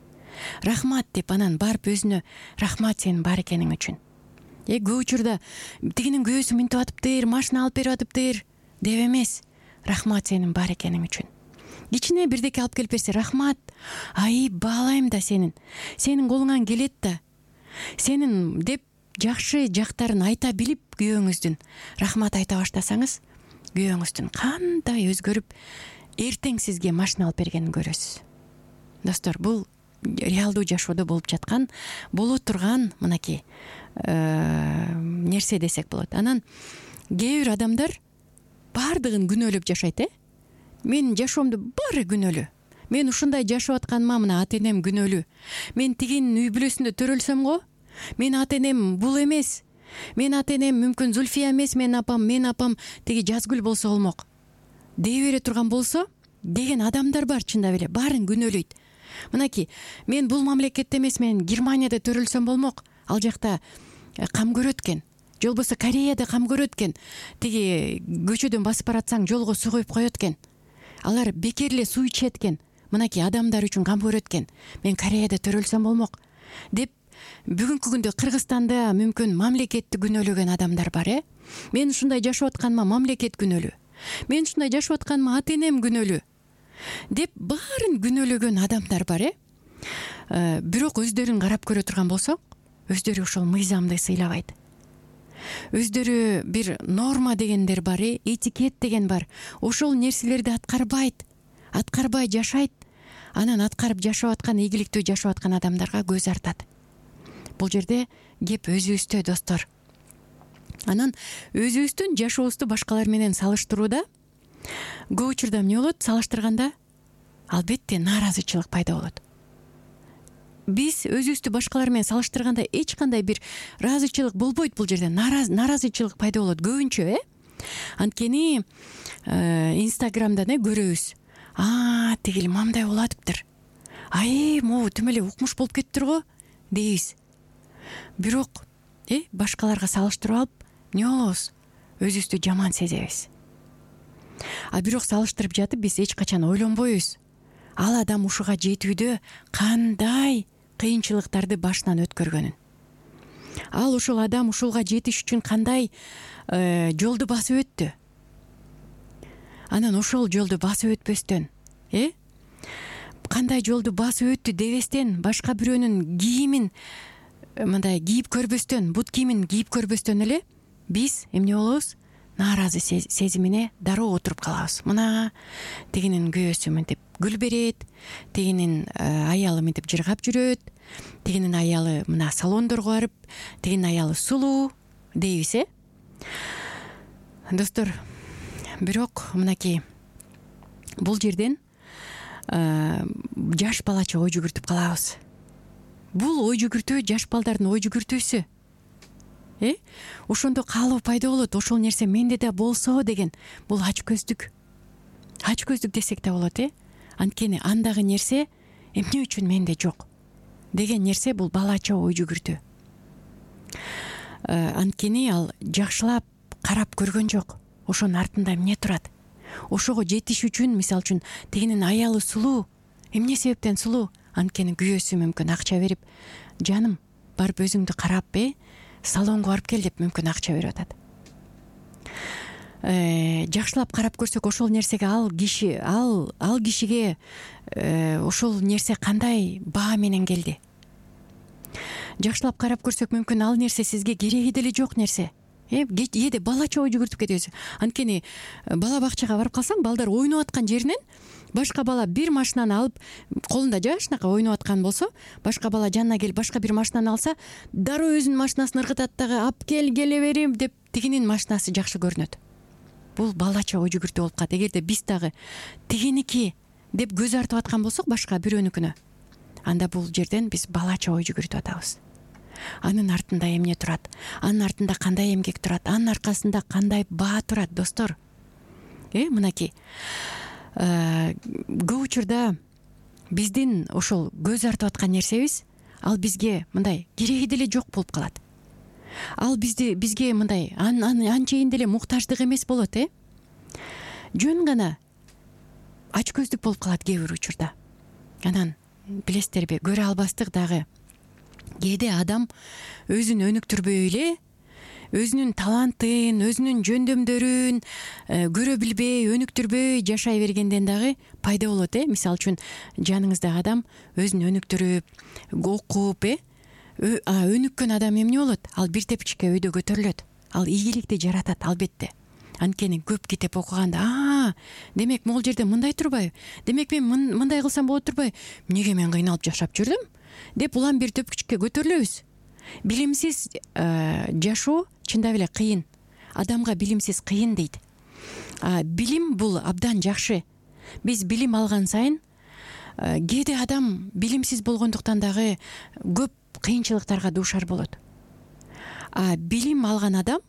Speaker 2: Рахмат деп анан барып өзүнө, рахмат сенин бар экениң үчүн. Көп учурда тигинин күйөөсү мынтип атыптыр, машина алып берип атыптыр деп эмес, рахмат сенин бар экениң үчүн. Кичине бирдеке алып келип берсе, рахмат, баалайм да сенин колуңан келет да, сенин деп жакшы жактарын айта билип күйөөңүздүн рахмат айта баштасаңыз, күйөөңүздүн кандай өзгөрүп эртең сизге машина алып бергенин көрөсүз. Достор, бул реалдуу жашоодо болуп жаткан, боло турган мынакей нерсе десек болот. Анан кээ бир адамдар баардыгын күнөөлөп жашайт. Менин жашоомдо баары күнөөлүү. Мен ушундай жашап атканыма мына ата-энем күнөөлүү. Мен тигин үй бүлөсүндө төрөлсөм го, менин ата-энем бул эмес. Менин ата энем мүмкүн Зульфия эмес, менин апам тиги Жазгүл болсо болмок дей бере турган болсо деген адамдар бар. Чындап эле баарын күнөөлөйт. Мынакей, мен бул мамлекетте эмес, мен Германияда төрөлсөм болмок, ал жакта кам көрөт экен, же болбосо Кореяда кам көрөт экен. Тиги көчөдөн басып баратсаң жолго суу коюп коет экен. Алар бекер эле суу ичет экен. Мынакей адамдар үчүн кам көрөт экен. Мен Кореяда төрөлсөм болмок деп бүгүнкү күндө Кыргызстанда мүмкүн мамлекетти күнөөлөгөн адамдар бар. Мен ушундай жашап атканыма мамлекет күнөөлүү. Мен ушундай жашап атканыма ата энем күнөөлүү деп баарын күнөөлөгөн адамдар бар. Бирок өздөрүн карап көрө турган болсок, өздөрү ошол мыйзамды сыйлабайт. Өздөрү бир норма дегендер бар, этикет деген бар. Ошол нерселерди аткарбай жашайт. Анан аткарып жашап аткан, ийгиликтүү жашап аткан адамдарга көз артат. Бул жерде кеп өзүбүздө, достор. Анан өзүбүздүн жашообузду башкалар менен салыштырууда көп учурда эмне болот? Салыштырганда албетте нааразычылык пайда болот. Биз өзүбүздү башкалар менен салыштырганда эч кандай бир ыраазычылык болбойт. Бул жерде нааразычылык пайда болот көбүнчө. Анткени Инстаграмдан көрөбүз. Тигил мамдай болуп атыптыр. Могу тим эле укмуш болуп кетиптир го дейбиз. Бирок башкаларга салыштырып алып эмне болобуз? Өзүбүздү жаман сезебиз. Бирок салыштырып жатып биз эч качан ойлонбойбуз. Ал адам ушуга жетүүдө кандай кыйынчылыктарды башынан өткөргөнүн. Ал ушул адам ушулга жетиш үчүн кандай жолду басып өттү. Анан ошол жолду басып өтпөстөн, кандай жолду басып өттү дебестен, башка бирөөнүн кийимин мындай кийип көрбөстөн, бут кийимин кийип көрбөстөн эле биз эмне болобуз? Нааразы сезимине дароо отуруп калабыз. Мына тигинин күйөөсү мынтип гүл берет, тигинин аялы мынтип жыргап жүрөт, тигинин аялы мына салондорго барып, тигинин аялы сулуу дейбиз. Достор, бирок мынакей бул жерден жаш балача ой жүгүртүп калабыз. Бул ой жүгүртүү жаш балдардын ой жүгүртүүсү. Ошондо каалоо пайда болот. Ошол нерсе менде да болсо деген. Бул ачкөздүк. Ачкөздүк десек да болот. Анткени андагы нерсе эмне үчүн менде жок деген нерсе бул балача ой жүгүртүү. Анткени ал жакшылап карап көргөн жок. Ошонун артында эмне турат? Ошого жетиш үчүн, мисалы үчүн, тигинин аялы сулуу. Эмне себептен сулуу? Анткени күйөөсү мүмкүн акча берип, жаным, барып өзүңдү карап, салонго барып кел деп мүмкүн акча берип атат. Жакшылап карап көрсөк, ошол нерсеге ал кишиге ошол нерсе кандай баа менен келди? Жакшылап карап көрсөк, мүмкүн ал нерсе сизге кереги деле жок нерсе. Кээде балача ой жүгүртүп кетебиз. Анткени бала бакчага барып калсаң, балдар ойноп аткан жеринен башка бала бир машинаны алып, колунда жашынакай ойноп аткан болсо, башка бала жанына келип башка бир машинаны алса, дароо өзүнүн машинасын ыргытат дагы, ап келе берем деп тигинин машинасы жакшы көрүнөт. Бул балача ой жүгүртүү болуп калат. Эгерде биз дагы тигиники деп көз артып аткан болсок башка бирөөнүкүнө, анда бул жерден биз балача ой жүгүртүп атабыз. Анын артында эмне турат? Анын артында кандай эмгек турат? Анын аркасында кандай баа турат, достор? Мынакей көп учурда биздин ошол көз артып аткан нерсебиз, ал бизге мындай кереги деле жок болуп калат. Ал бизге мындай анчейин деле муктаждык эмес болот. Жөн гана ачкөздүк болуп калат кээ бир учурда. Анан билесиздерби, көрө албастык дагы. Кээде адам өзүн өнүктүрбөй эле, өзүнүн талантын, өзүнүн жөндөмдөрүн көрө билбей, өнүктүрбөй жашай бергенден дагы пайда болот. Мисалы үчүн, жаныңыздагы адам өзүн өнүктүрүп, окуп, өнүккөн адам эмне болот? Ал бир тепкичке өйдө көтөрүлөт. Ал ийгиликти жаратат, албетте. Анткени көп китеп окуганда, демек могул жерде мындай турбайбы? Демек мен мындай кылсам болот турбайбы? Эмнеге мен кыйналып жашап жүрдүм? Деп улам бир тепкичке көтөрүлөбүз. Билимсиз жашоо чындап эле кыйын. Адамга билимсиз кыйын дейт. Билим бул абдан жакшы. Биз билим алган сайын, кээде адам билимсиз болгондуктан дагы көп кыйынчылыктарга дуушар болот. А билим алган адам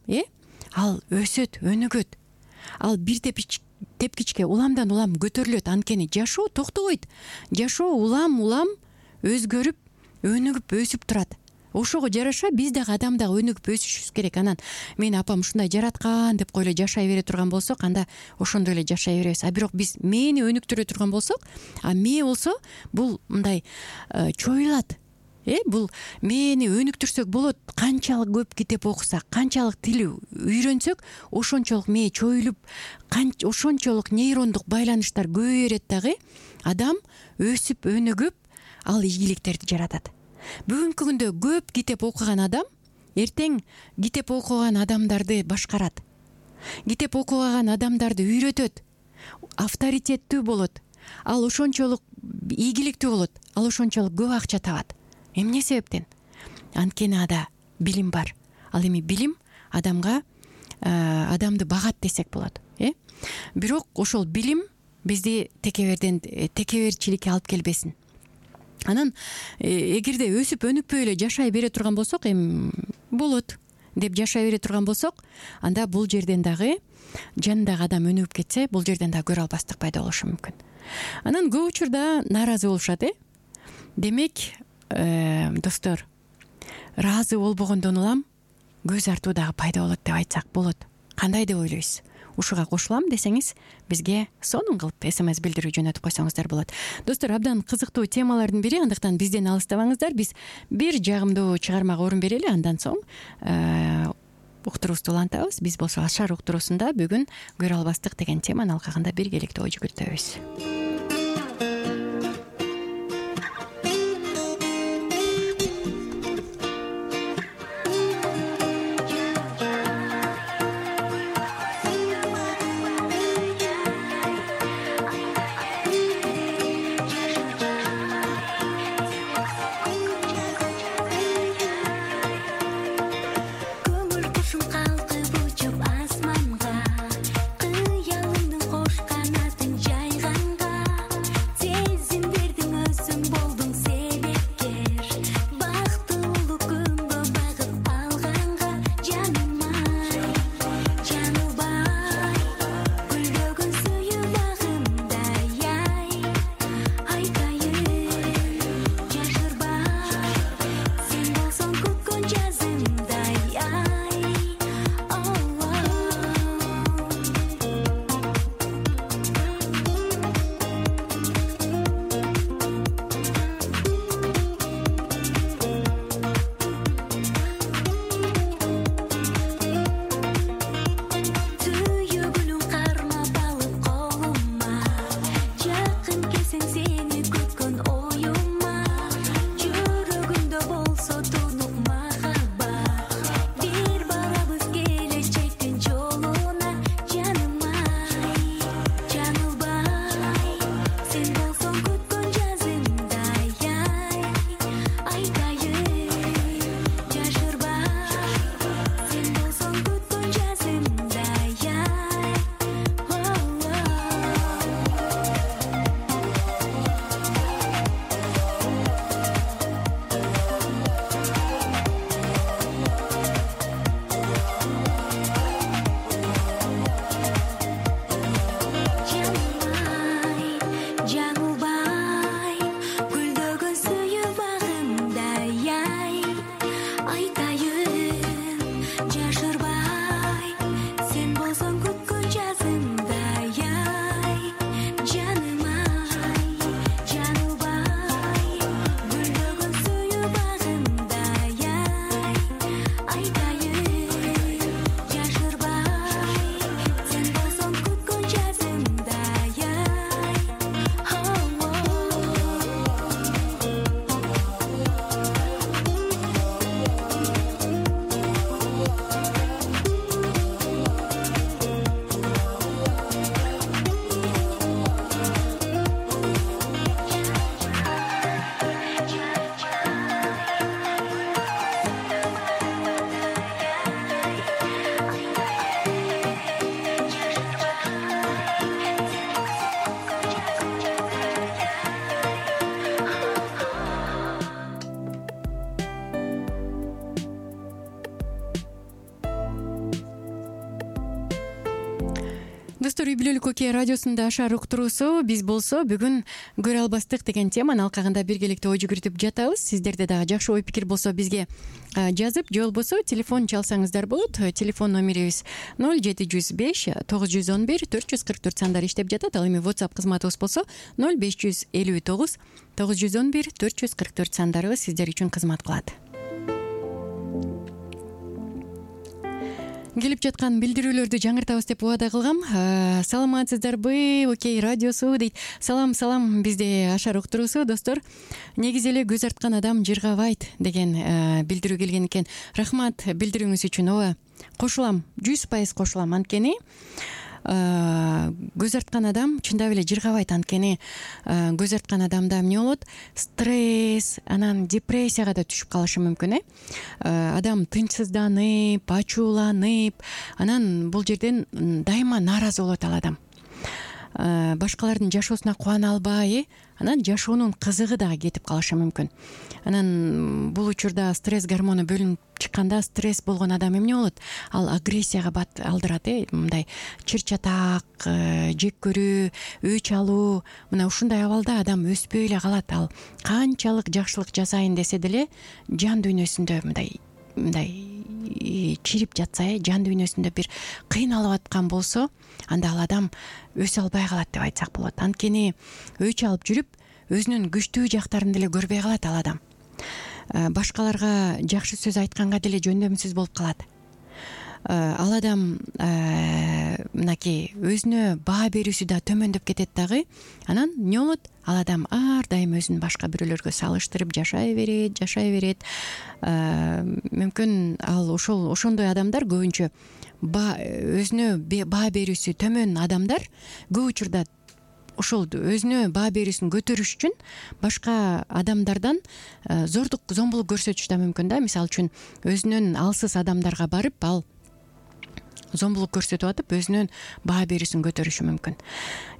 Speaker 2: ал өсөт, өнүгөт, ал бир тепкичке уламдан улам көтөрүлөт. Анткени жашоо токтобойт. Жашоо улам өзгөрүп, өнүгүп, өсүп турат. Ошого жараша биз дагы адам дагы өнүгүп өсүшүбүз керек. Анан мени апам ушундай жараткан деп эле жашай бере турган болсок, анда ошондой эле жашай беребиз. А бирок биз мээни өнүктүрө турган болсок, а мээ болсо бул мындай чоюлат. Бул мээни өнүктүрсөк болот. Канчалык көп китеп окусак, канчалык тил үйрөнсөк, ошончолук мээ чоюлуп, ошончолук нейрондук байланыштар көбөйөрөт дагы. Адам өсүп, өнүгүп, ал ийгиликтерди жаратат. Бүгүнкү күндө көп китеп окуган адам эртең китеп окуган адамдарды башкарат. Китеп окуган адамдарды үйрөтөт, авторитеттүү болот. Ал ошончолук ийгиликтүү болот. Ал ошончолук көп акча табат. Эмне себептен? Анткени ада билим бар. Ал эми билим адамды багат десек болот. Бирок ошол билим бизди текеберчиликке алып келбесин. Анан эгерде өсүп өнүкпөй эле жашай бере турган болсок, болот деп жашай бере турган болсок, анда бул жерден дагы жанындагы адам өнүгүп кетсе, бул жерден дагы көрө албастык пайда болушу мүмкүн. Анан көп учурда нааразы болушат. Демек, достор, ыраазы болбогондон улам көз артуу дагы пайда болот деп айтсак болот. Кандай деп ойлойсуз? Ушуга кошулам десеңиз, бизге сонун кылып SMS билдирүү жөнөтүп койсоңуздар болот. Достор, абдан кызыктуу темалардын бири, андыктан бизден алыстабаңыздар. Биз бир жагымдуу чыгармага орун берели, андан соң уктуруубузду улантабыз. Биз болсо Ашар уктуруусунда бүгүн көрө албастык деген теманын алкагында биргеликте ой жүгүртөбүз.
Speaker 3: Asmanга, kıyalımdın koş kanatın cayganга.
Speaker 2: Достор, Үй бүлөлүк окей радиосунда Ашар уктуруусу. Биз болсо бүгүн көрө албастык деген теманын алкагында биргеликте ой жүгүртүп жатабыз. Сиздерде дагы жакшы ой пикир болсо бизге жазып, же болбосо телефон чалсаңыздар болот. Телефон номерибиз 0705 911 444 сандар иштеп жатат. Ал эми WhatsApp кызматыбыз болсо 0559 911 444 сандарыбыз сиздер үчүн кызмат кылат. Келип жаткан билдирүүлөрдү жаңыртабыз деп убада кылгам. Саламатсыздарбы? Окей радиосу дейт. Салам, бизде Ашар уктуруусу. Достор, негизи эле көз арткан адам жыргабайт деген билдирүү келген экен. Рахмат билдирүүңүз үчүн. Ооба, кошулам, 100% кошулам. Анткени көз арткан адам чындап эле жыргабайт. Анткени көз арткан адамда эмне болот? Стресс, анан депрессияга да түшүп калышы мүмкүн. Адам тынчсызданып, ачууланып, анан бул жерден дайыма нааразы болот ал адам. Башкалардын жашоосуна кубана албай, анан жашоонун кызыгы дагы кетип калышы мүмкүн. Анан бул учурда стресс гормону бөлүнүп чыкканда стресс болгон адам эмне болот? Ал агрессияга алдырат, мындай чыр-чатак, жек көрүү, өч алуу. Мына ушундай абалда адам өспөй эле калат. Ал канчалык жакшылык жасайын десе деле жан дүйнөсүндө мындай чирип жатса, жан дүйнөсүндө бир кыйналып аткан болсо, анда ал адам өсө албай калат деп айтсак болот. Анткени өч алып жүрүп, өзүнүн күчтүү жактарын деле көрбөй калат ал адам. Башкаларга жакшы сөз айтканга деле жөндөмсүз болуп калат. Ал адам мынакей өзүнө баа берүүсү да төмөндөп кетет дагы. Анан эмне болот? Ал адам ар дайым өзүн башка бирөөлөргө салыштырып жашай берет. Мүмкүн ал ошондой адамдар көбүнчө өзүнө баа берүүсү төмөн адамдар көп учурда ошол өзүнө баа берүүсүн көтөрүш үчүн башка адамдардан зомбулук көрсөтүш да мүмкүн да. Мисалы үчүн өзүнөн алсыз адамдарга барып ал зомбулук көрсөтүп атып өзүнүн баа берүүсүн көтөрүшү мүмкүн.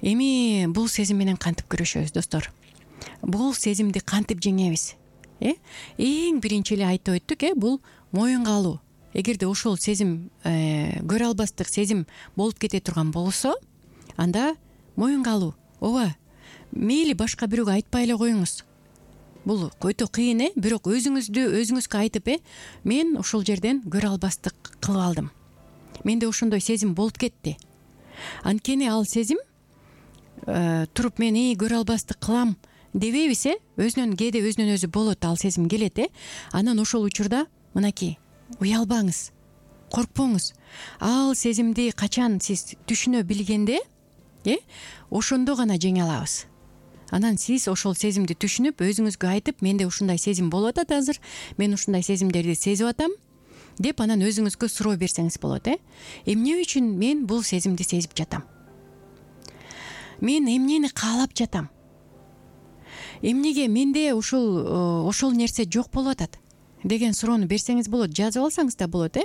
Speaker 2: Эми бул сезим менен кантип күрөшөбүз, достор? Бул сезимди кантип жеңебиз? Эң биринчи эле айтып өттүк, бул моюнга алуу. Эгерде ошол сезим көрө албастык сезим болуп кете турган болсо, анда моюнга алуу. Ооба, мейли башка бирөөгө айтпай эле коюңуз. Бул өтө кыйын, бирок өзүңүзгө айтып, мен ушул жерден көрө албастык кылып алдым. Менде ошондой сезим болуп кетти. Анткени ал сезим туруп мен көрө албастык кылам дебейбиз, кээде өзүнөн өзү болот, ал сезим келет. Анан ошол учурда мынакей уялбаңыз, коркпоңуз. Ал сезимди качан сиз түшүнө билгенде, ошондо гана жеңе алабыз. Анан сиз ошол сезимди түшүнүп, өзүңүзгө айтып, менде ушундай сезим болуп атат азыр, мен ушундай сезимдерди сезип атам деп, анан өзүңүзгө суроо берсеңиз болот. Эмне үчүн мен бул сезимди сезип жатам? Мен эмнени каалап жатам? Эмнеге менде ошол нерсе жок болуп атат деген суроону берсеңиз болот, жазып алсаңыз да болот.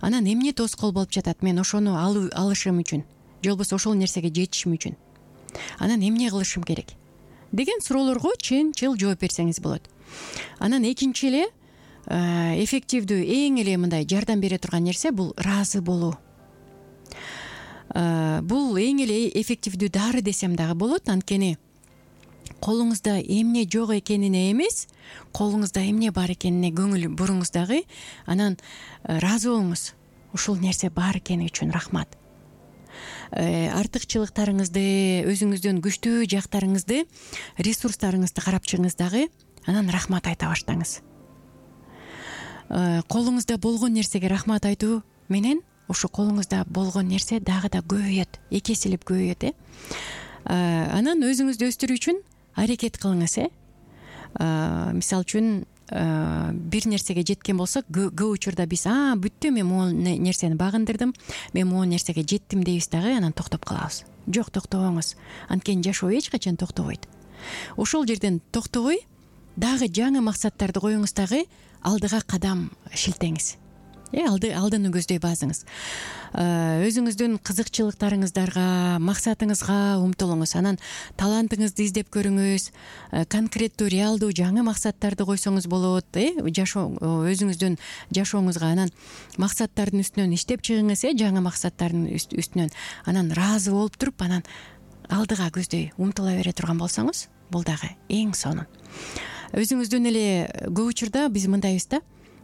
Speaker 2: Анан эмне тоскоол болуп жатат мен ошону алышым үчүн, же болбосо ошол нерсеге жетишим үчүн? Анан эмне кылышым керек деген суроолорго чынчыл жооп берсеңиз болот. Анан экинчи эле эффективдүү, эң эле мындай жардам бере турган нерсе бул ыраазы болуу. Бул эң эле эффективдүү дары десем дагы болот. Анткени колуңузда эмне жок экенине эмес, колуңузда эмне бар экенине көңүл буруңуз дагы. Анан ыраазы болуңуз. Ушул нерсе бар экени үчүн рахмат. Артыкчылыктарыңызды, өзүңүздүн күчтүү жактарыңызды, ресурстарыңызды карап чыгыңыз дагы. Анан рахмат айта баштаңыз. Колуңузда болгон нерсеге рахмат айтуу менен ошо колуңузда болгон нерсе дагы да көбөйөт, эки эселеп көбөйөт. Анан өзүңүздү өстүрүү үчүн аракет кылыңыз. Мисалы үчүн бир нерсеге жеткен болсок, көп учурда биз бүттү, мен могул нерсени багындырдым, мен могул нерсеге жеттим дейбиз дагы, анан токтоп калабыз. Жок, токтобоңуз. Анткени жашоо эч качан токтобойт. Ошол жерден токтобой, дагы жаңы максаттарды коюңуз, дагы алдыга кадам шилтеңиз. алдыны көздөй базыңыз. Өзүңүздүн кызыкчылыктарыңыздарга, максатыңызга умтулуңуз. Анан талантыңызды издеп көрүңүз. Конкреттүү, реалдуу жаңы максаттарды койсоңуз болот. Өзүңүздүн жашооңузга анан максаттардын үстүнөн иштеп чыгыңыз, жаңы максаттардын үстүнөн. Анан ыраазы болуп туруп, анан алдыга көздөй умтула бере турган болсоңуз, бул дагы эң сонун. Өзүңүздүн эле көп учурда биз мындайбыз да.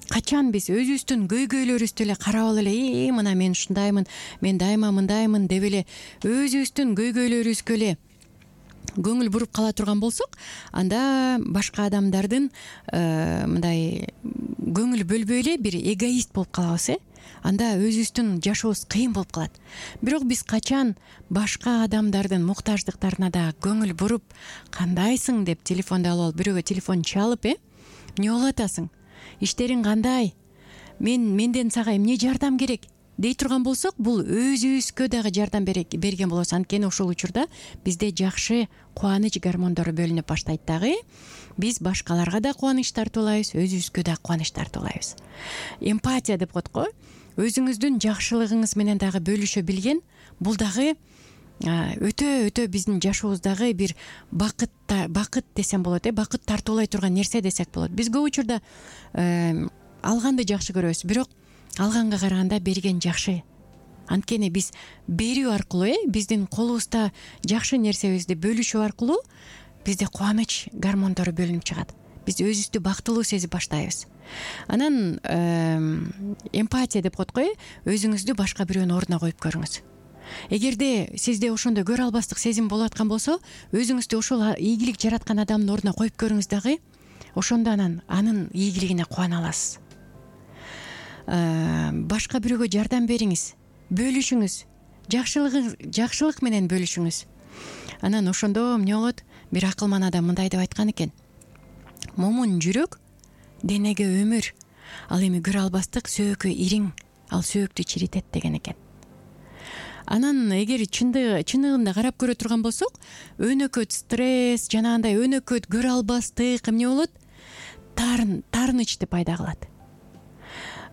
Speaker 2: Качан биз өзүбүздүн көйгөйлөрүбүздү эле карап эле, мына мен ушундаймын, мен дайыма мындаймын деп эле өзүбүздүн көйгөйлөрүбүзгө эле көңүл буруп кала турган болсок, анда башка адамдардын мындай көңүл бөлбөй эле бир эгоист болуп калабыз. Анда өзүбүздүн жашообуз кыйын болуп калат. Бирок биз качан башка адамдардын муктаждыктарына да көңүл буруп, кандайсың деп телефонду алып бирөөгө телефон чалып, эмне болуп атасың? Иштериң кандай? Менден сага эмне жардам керек дей турган болсок, бул өзүбүзгө дагы жардам берген болобуз. Анткени ошол учурда бизде жакшы кубаныч гормондору бөлүнүп баштайт дагы. Биз башкаларга да кубаныч тартуулайбыз, өзүбүзгө да кубаныч тартуулайбыз. Эмпатия деп коет го. Өзүңүздүн жакшылыгыңыз менен дагы бөлүшө билген, бул дагы өтө биздин жашообуздагы бир бакыт десем болот, бакыт тартуулай турган нерсе десек болот. Биз көп учурда алганды жакшы көрөбүз, бирок алганга караганда берген жакшы. Анткени биз берүү аркылуу, биздин колубузда жакшы нерсебизди бөлүшүү аркылуу бизде кубаныч гормондору бөлүнүп чыгат. Биз өзүбүздү бактылуу сезип баштайбыз. Анан эмпатия деп коет го, өзүңүздү башка бирөөнүн ордуна коюп көрүңүз. Эгерде сизде ошондой көрө албастык сезим болуп аткан болсо, өзүңүздү ошол ийгилик жараткан адамдын ордуна коюп көрүңүз дагы. Ошондо анын ийгилигине кубана аласыз. Башка бирөөгө жардам бериңиз, бөлүшүңүз, жакшылык менен бөлүшүңүз. Анан ошондо эмне болот? Бир акылман адам мындай деп айткан экен: момун жүрөк денеге өмүр, ал эми көрө албастык сөөккө ириң, ал сөөктү чиритет деген экен. Анан эгер чындыгында карап көрө турган болсок, өнөкөт стресс, жанагындай өнөкөт көрө албастык эмне болот? Таарынычты пайда кылат.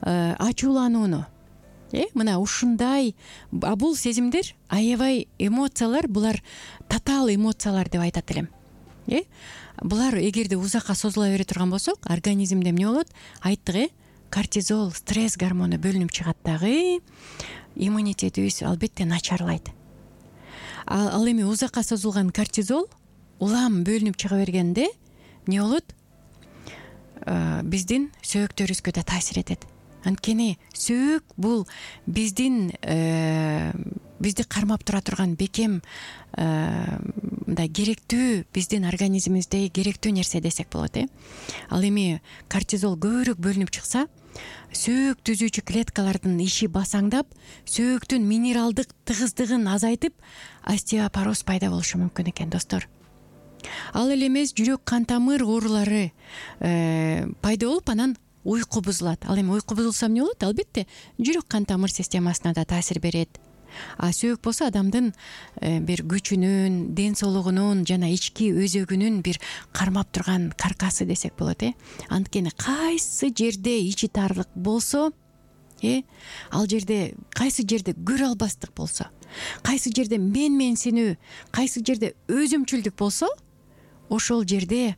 Speaker 2: Ачууланууну. Мына ушундай, бул сезимдер, аябай эмоциялар, булар татаал эмоциялар деп айтат элем. Булар эгерде узакка созула бере турган болсок, организмде эмне болот? Айттык, кортизол, стресс гормону бөлүнүп чыгат дагы. Иммунитетибиз албетте начарлайт. Ал эми узакка созулган кортизол улам бөлүнүп чыга бергенде эмне болот? Биздин сөөктөрүбүзгө да таасир этет. Анткени сөөк бул бизди кармап тура турган бекем, мындай керектүү, биздин организмибизде керектүү нерсе десек болот. Ал эми кортизол көбүрөөк бөлүнүп чыкса, сөөк түзүүчү клеткалардын иши басаңдап, сөөктүн минералдык тыгыздыгын азайтып, остеопороз пайда болушу мүмкүн экен, достор. Ал эле эмес, жүрөк кан тамыр оорулары пайда болуп, анан уйку бузулат. Ал эми уйку бузулса эмне болот? Албетте, жүрөк кан тамыр системасына да таасир берет. Сөөк болсо адамдын бир күчүнүн, ден соолугунун жана ички өзөгүнүн бир кармап турган каркасы десек болот. Анткени кайсы жерде ичи таарлык болсо, ал жерде, кайсы жерде көрө албастык болсо, кайсы жерде менсинүү, кайсы жерде өзүмчүлдүк болсо, ошол жерде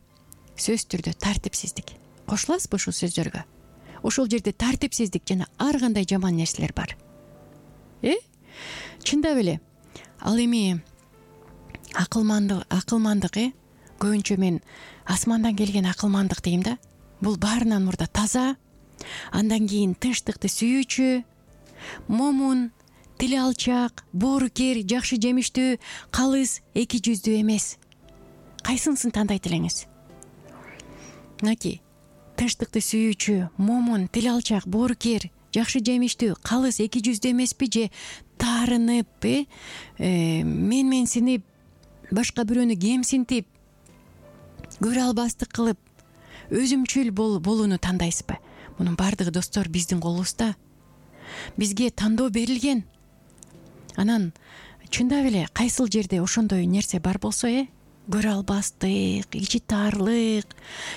Speaker 2: сөзсүз түрдө тартипсиздик. Кошуласызбы ушул сөздөргө? Ошол жерде тартипсиздик жана ар кандай жаман нерселер бар. Чындап эле. Ал эми акылмандык, көбүнчө мен асмандан келген акылмандык дейм да. Бул баарынан мурда таза, андан кийин тынчтыкты сүйүүчү, момун, тили алчак, боорукер, жакшы жемиштүү, калыс, эки жүздүү эмес. Кайсынысын тандайт элеңиз? Мынакей, тынчтыкты сүйүүчү, момун, тили алчак, боорукер, жакшы жемиштүү, калыс, эки жүздүү эмеспи, же таарынып, менсинип, башка бирөөнү кемсинтип, көрө албастык кылып, өзүмчүл болууну тандайсызбы? Мунун баардыгы, достор, биздин колубузда. Бизге тандоо берилген. Анан чындап эле кайсыл жерде ошондой нерсе бар болсо, көрө албастык, ичи таарлык,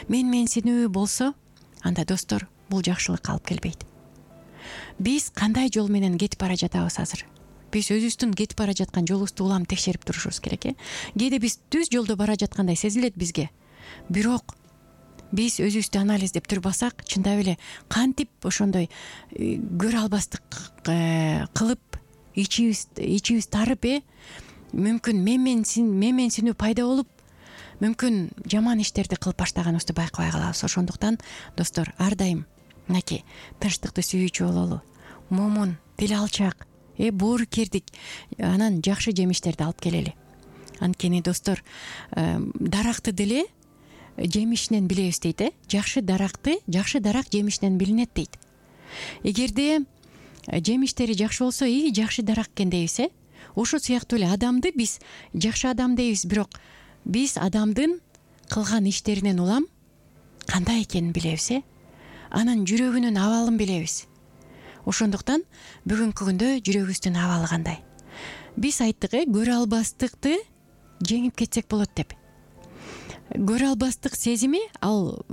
Speaker 2: менсинүү болсо, анда, достор, бул жакшылыкка алып келбейт. биз кандай жол менен кетип бара жатабыз азыр? Биз өзүбүздүн кетип бара жаткан жолубузду улам текшерип турушубуз керек. Кээде биз түз жолдо бара жаткандай сезилет бизге. Бирок биз өзүбүздү анализдеп турбасак, чындап эле кантип ошондой көрө албастык кылып, ичибиз тарып, мүмкүн менменсинүү пайда болуп, мүмкүн жаман иштерди кылып баштаганыбызды байкабай калабыз. Ошондуктан достор, ар дайым мынакей тынчтыкты сүйүүчү бололу, момун, тил алчак, боорукердик, анан жакшы жемиштерди алып келели. Анткени достор, даракты деле жемишинен билебиз дейт. Жакшы дарак жемишинен билинет дейт. Эгерде жемиштери жакшы болсо, жакшы дарак экен дейбиз. Ошо сыяктуу эле адамды биз жакшы адам дейбиз, бирок биз адамдын кылган иштеринен улам кандай экенин билебиз. Анын жүрөгүнүн абалын билебиз. Ошондуктан бүгүнкү күндө жүрөгүбүздүн абалы кандай? Биз айттык, көрө албастыкты жеңип кетсек болот деп. Көрө албастык сезими ал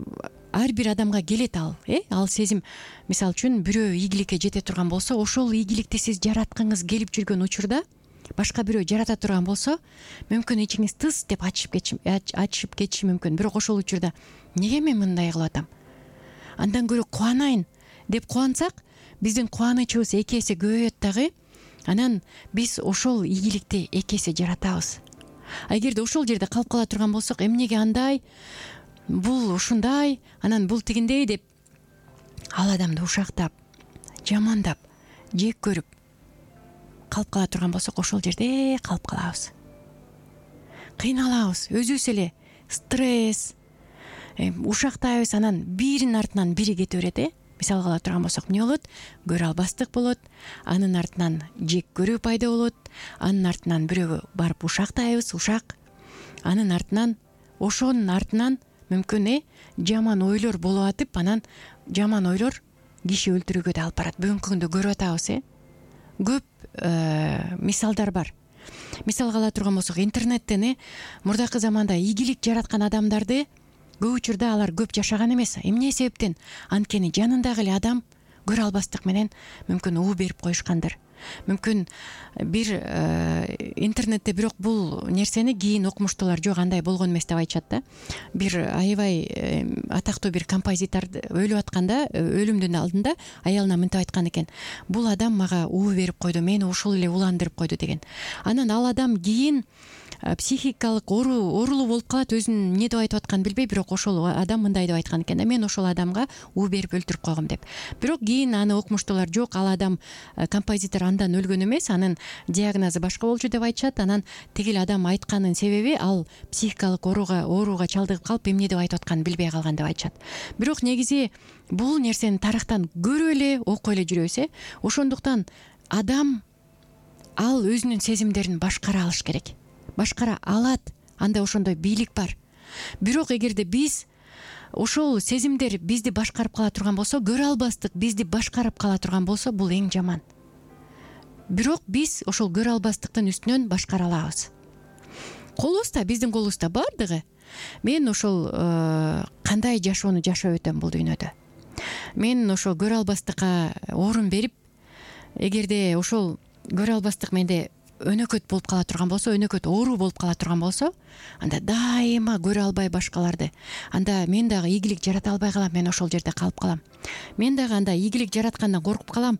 Speaker 2: ар бир адамга келет. Ал сезим, мисалы үчүн, бирөө ийгиликке жете турган болсо, ошол ийгиликти сиз жараткыңыз келип жүргөн учурда башка бирөө жарата турган болсо, мүмкүн ичиңиз тыз деп ачышып кетиши мүмкүн. Бирок ошол учурда неге мен мындай кылып атам? Андан көрө кубанайын деп кубансак, биздин кубанычыбыз эки эсе көбөйөт дагы. Анан биз ошол ийгиликти эки эсе жаратабыз. Эгерде ошол жерде калып кала турган болсок, эмнеге андай, бул ушундай, анан бул тигиндей деп ал адамды ушактап, жамандап, жек көрүп калып кала турган болсок, ошол жерде калып калабыз. Кыйналабыз, өзүбүз эле стресс, ушактайбыз, анан биринин артынан бири кете берет. Мисалга ала турган болсок, эмне болот? Көрө албастык болот, анын артынан жек көрүү пайда болот, анын артынан бирөөгө барып ушактайбыз, анын артынан, ошонун артынан мүмкүн жаман ойлор болуп атып, анан жаман ойлор киши өлтүрүүгө да алып барат. Бүгүнкү күндө көрүп атабыз. Көп мисалдар бар. Мисалга ала турган болсок, интернеттен мурдакы заманда ийгилик жараткан адамдарды көп учурда алар көп жашаган эмес. Эмне себептен? Анткени жанындагы эле адам көрө албастык менен мүмкүн уу берип коюшкандыр. Мүмкүн бир интернетте, бирок бул нерсени кийин окумуштуулар жок, андай болгон эмес деп айтышат да. Бир аябай атактуу бир композитор өлүп атканда, өлүмдүн алдында аялына мынтип айткан экен: бул адам мага уу берип койду, мени ушул эле уландырып койду деген. Анан ал адам кийин психикалык оорулуу болуп калат, өзүн эмне деп айтып атканын билбей, бирок ошол адам мындай деп айткан экен: мен ошол адамга уу берип өлтүрүп койгом деп. Бирок кийин аны окумуштуулар жок, ал адам, композитор андан өлгөн эмес, анын диагнозу башка болчу деп айтышат. Анан тигил адам айтканын себеби ал психикалык ооруга чалдыгып калып, эмне деп айтып атканын билбей калган деп айтышат. Бирок негизи бул нерсени тарыхтан көрүп эле, окуп эле жүрөбүз. Ошондуктан адам ал өзүнүн сезимдерин башкара алыш керек. Башкара алат, анда ошондой бийлик бар. Бирок эгерде биз ошол сезимдер бизди башкарып кала турган болсо, көрө албастык бизди башкарып кала турган болсо, бул эң жаман. Бирок биз ошол көрө албастыктын үстүнөн башкара алабыз. Колубузда, биздин колубузда бардыгы. Мен ошол кандай жашоону жашап өтөм бул дүйнөдө. Мен ошол көрө албастыкка орун берип, эгерде ошол көрө албастык менде өнөкөт болуп кала турган болсо, өнөкөт оору болуп кала турган болсо, анда дайыма көрө албай башкаларды, анда мен дагы ийгилик жарата албай калам, мен ошол жерде калып калам. Мен дагы анда ийгилик жараткандан коркуп калам.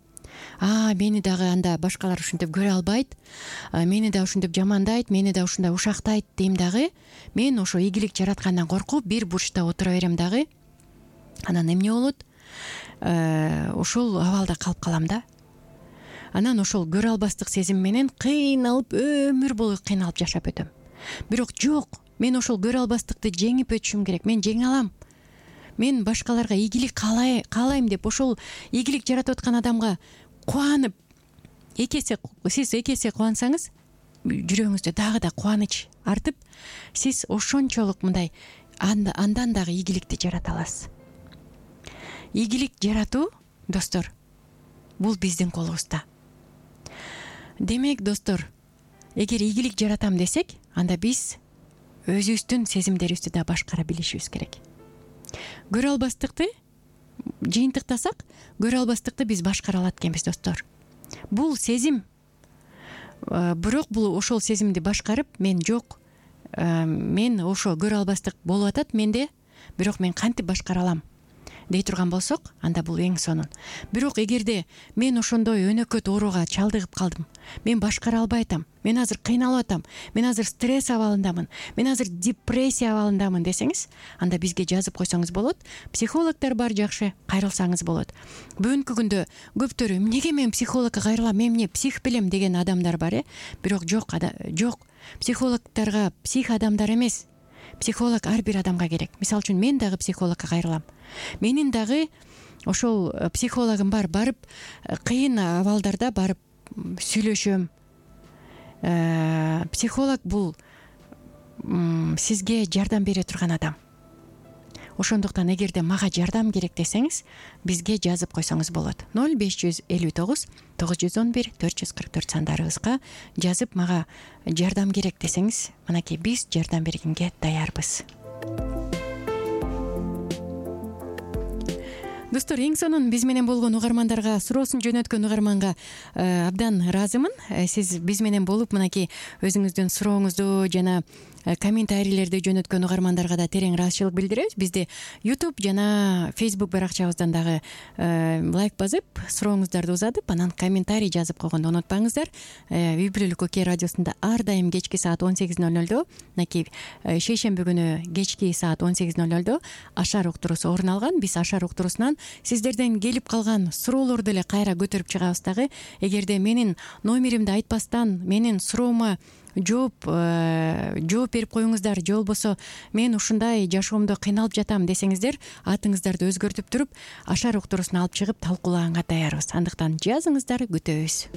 Speaker 2: Мени дагы анда башкалар ушинтип көрө албайт, мени да ушинтип жамандайт, мени да ушундай ушактайт дейм дагы. Мен ошо ийгилик жараткандан коркуп бир бурчта отура берем дагы. Анан эмне болот? Ошол абалда калып калам да. Анан ошол көрө албастык сезим менен кыйналып, өмүр бою кыйналып жашап өтөм. Бирок жок, мен ошол көрө албастыкты жеңип өтүшүм керек. Мен жеңе алам. Мен башкаларга ийгилик каалайм деп ошол ийгилик жаратып аткан адамга кубанып, сиз эки эсе кубансаңыз, жүрөгүңүздө дагы да кубаныч артып, сиз ошончолук мындай андан дагы ийгиликти жарата аласыз. Ийгилик жаратуу, достор, бул биздин колубузда. Демек, достор, эгер ийгилик жаратам десек, анда биз өзүбүздүн сезимдерибизди да башкара билишибиз керек. Көрө албастыкты жыйынтыктасак көрө албастыкты биз башкара алат экенбиз достор. Бул сезим, бирок бул ошол сезимди башкарып мен жок, мен ошо көрө албастык болуп атат менде, бирок мен кантип башкара алам дей турган болсок, анда бул эң сонун. Бирок эгерде мен ошондой өнөкөт ооруга чалдыгып калдым, мен башкара албай атам, мен азыр кыйналып атам, мен азыр стресс абалындамын, мен азыр депрессия абалындамын десеңиз, анда бизге жазып койсоңуз болот. Психологдор бар, жакшы кайрылсаңыз болот. Бүгүнкү күндө көптөрү эмнеге мен психологко кайрылам, мен эмне псих белем деген адамдар бар, бирок жок. Психологдорго псих адамдар эмес, психолог ар бир адамга керек. Мисалы үчүн мен дагы психологко кайрылам. Менин дагы ошол психологум бар, барып кыйын абалдарда барып сүйлөшөм. Психолог бул сизге жардам бере турган адам. Ошондуктан эгерде мага жардам керек десеңиз, бизге жазып койсоңуз болот. 0559 911 444 сандарыбызга жазып мага жардам керек десеңиз, мынакей биз жардам бергенге даярбыз. Достор, эң сонун биз менен болгон угармандарга, суроосун жөнөткөн угарманга абдан ыраазымын. Сиз биз менен болуп мынакей өзүңүздүн сурооңузду жана комментарийлерди жөнөткөн угармандарга да терең ыраазычылык билдиребиз. Бизди YouTube жана Facebook баракчабыздан дагы лайк басып, сурооңуздарды узатып, анан комментарий жазып койгонду унутпаңыздар. Үй бүлөлүк Окей радиосунда ар дайым кечки саат 18:00, мынакей шейшемби күнү кечки саат 18:00 ашар уктуруусу орун алган. Биз ашар уктуруусунан сиздерден келип калган суроолорду эле кайра көтөрүп чыгабыз дагы. Эгерде менин номеримди айтпастан менин суроома жооп берип коюңуздар, же болбосо мен ушундай жашоомдо кыйналып жатам десеңиздер, атыңыздарды өзгөртүп туруп ашар уктуруусуна алып чыгып талкуулаганга даярбыз. Андыктан жазыңыздар, күтөбүз.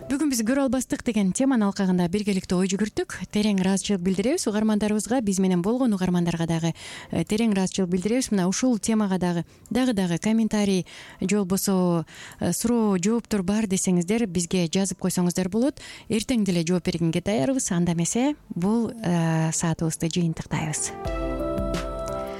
Speaker 2: Бүгүн биз көрө албастык деген теманын алкагында биргеликте ой жүгүрттүк. Терең ыраазычылык билдиребиз угармандарыбызга, биз менен болгон угармандарга дагы терең ыраазычылык билдиребиз. Мына ушул темага дагы комментарий же болбосо суроо, жооптор бар десеңиздер, бизге жазып койсоңуздар болот. Эртең деле жооп бергенге даярбыз. Анда эмесе бул саатыбызды жыйынтыктайбыз.